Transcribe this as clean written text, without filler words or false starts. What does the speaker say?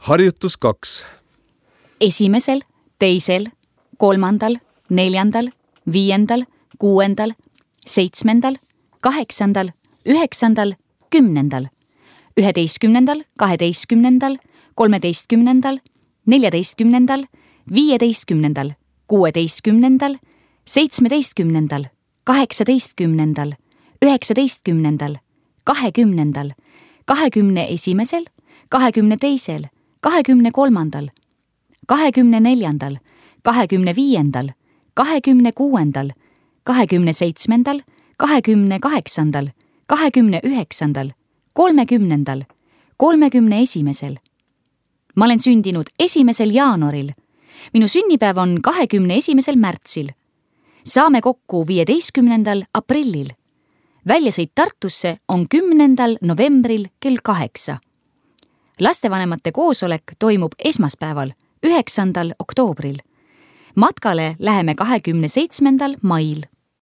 Harjutus 2. 1., 2., 3., 4., 5., 6., 7., 8., 9., 10., 11., 12., 13., 14., 15., 16., 17., 18., 19., 20., 21., 22., 23., 24., 25., 26., 27., 28., 29., 30., 31. Ma olen sündinud 1. jaanuaril. Minu sünnipäev on 21. märtsil. Saame kokku 15. aprillil. Väljasõit Tartusse on 10. novembril kell 8. Lastevanemate koosolek toimub esmaspäeval, 9. oktoobril. Matkale läheme 27. mail.